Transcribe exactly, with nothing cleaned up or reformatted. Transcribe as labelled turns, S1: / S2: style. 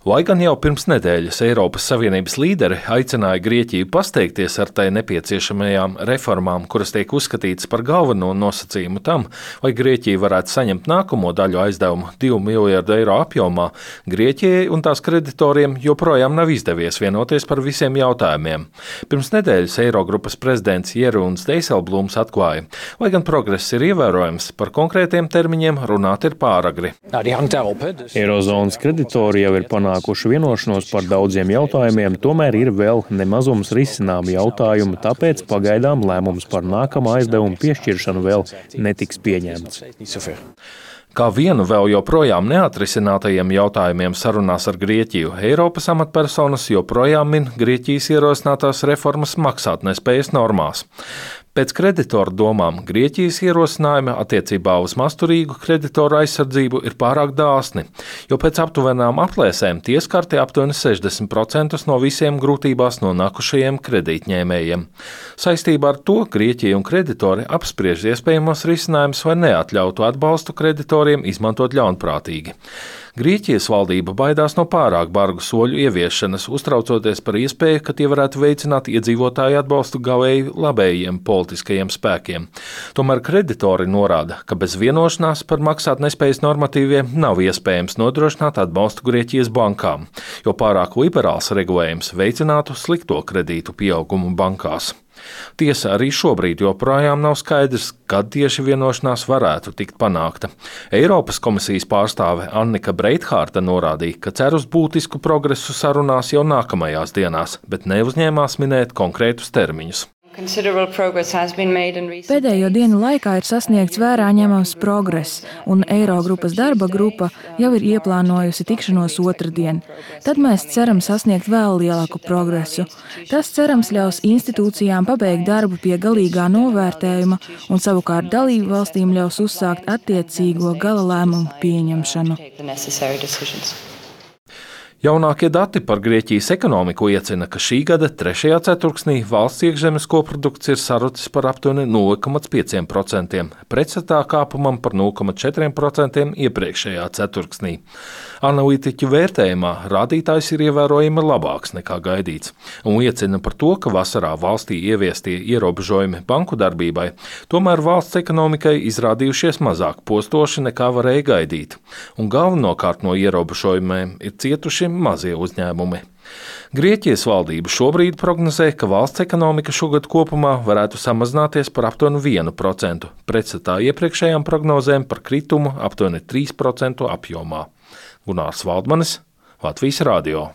S1: Lai gan jau pirms nedēļas Eiropas Savienības līderi aicināja Grieķiju pasteigties ar tai nepieciešamajām reformām, kuras tiek uzskatītas par galveno nosacījumu tam, lai Grieķija varētu saņemt nākamo daļu aizdevumu divu miljardu eiro apjomā, Grieķijai un tās kreditoriem joprojām nav izdevies vienoties par visiem jautājumiem. Pirms nedēļas Eirogrupas prezidents Jeroens Dijsselbloems atklāja, lai gan progress ir ievērojams, par konkrētiem termiņiem runāt ir pāragri.
S2: Eirozonas kreditori jau ir panākuši vienošanos par daudziem jautājumiem, tomēr ir vēl nemazums risināmi jautājumi, tāpēc pagaidām lēmums par nākamā aizdevuma piešķiršanu vēl netiks pieņemts.
S1: Kā vienu vēl joprojām neatrisinātajiem jautājumiem sarunās ar Grieķiju, Eiropas amatpersonas joprojām min Grieķijas ierosinātās reformas maksātnespējas normās. Pēc kreditoru domām Grieķijas ierosinājumi attiecībā uz masturīgu kreditoru aizsardzību ir pārāk dāsni, jo pēc aptuvenām aplēsēm tie skarti aptuveni sešdesmit procentus no visiem grūtībās nonākušajiem kredītņēmējiem. Saistībā ar to Grieķija un kreditori apspriež iespējamos risinājumus vai neatļautu atbalstu kreditoriem izmantot ļaunprātīgi. Grieķijas valdība baidās no pārāk bargu soļu ieviešanas, uztraucoties par iespēju, ka tie varētu veicināt iedzīvotāju atbalstu gavēji labējiem politiskajiem spēkiem. Tomēr kreditori norāda, ka bez vienošanās par maksātnespējas normatīviem nav iespējams nodrošināt atbalstu Grieķijas bankām, jo pārāk liberāls regulējums veicinātu slikto kredītu pieaugumu bankās. Tiesa, arī šobrīd joprojām nav skaidrs, kad tieši vienošanās varētu tikt panākta. Eiropas komisijas pārstāve Annika Breithārta norādīja, ka cer uz būtisku progresu sarunās jau nākamajās dienās, bet neuzņēmās minēt konkrētus termiņus.
S3: Pēdējo dienu laikā ir sasniegts vērā ņemams progress, un Eirogrupas darba grupa jau ir ieplānojusi tikšanos otrdien. Tad mēs ceram sasniegt vēl lielāku progresu. Tas, cerams, ļaus institūcijām pabeigt darbu pie galīgā novērtējuma un savukārt dalību valstīm ļaus uzsākt attiecīgo gala lēmumu pieņemšanu.
S1: Jaunākie dati par Grieķijas ekonomiku liecina, ka šī gada trešajā ceturksnī valsts iekšzemes koprodukts ir sarucis par aptuveni nulle komats pieci procenti, pretstatā kāpumam par nulle komats četri procenti iepriekšējā ceturksnī. Analītiķu vērtējumā rādītājs ir ievērojami labāks nekā gaidīts un liecina par to, ka vasarā valstī ieviestie ierobežojumi banku darbībai, tomēr valsts ekonomikai izrādījušies mazāk postoši nekā varēja gaidīt, un galvenokārt no ierobežojumiem ir cietuši mazie uzņēmumi. Grieķijas valdība šobrīd prognozē, ka valsts ekonomika šogad kopumā varētu samazināties par aptuveni vienu procentu, pretstatā iepriekšējām prognozēm par kritumu aptuveni trīs procentu apjomā. Gunārs Valdmanis, Latvijas radio.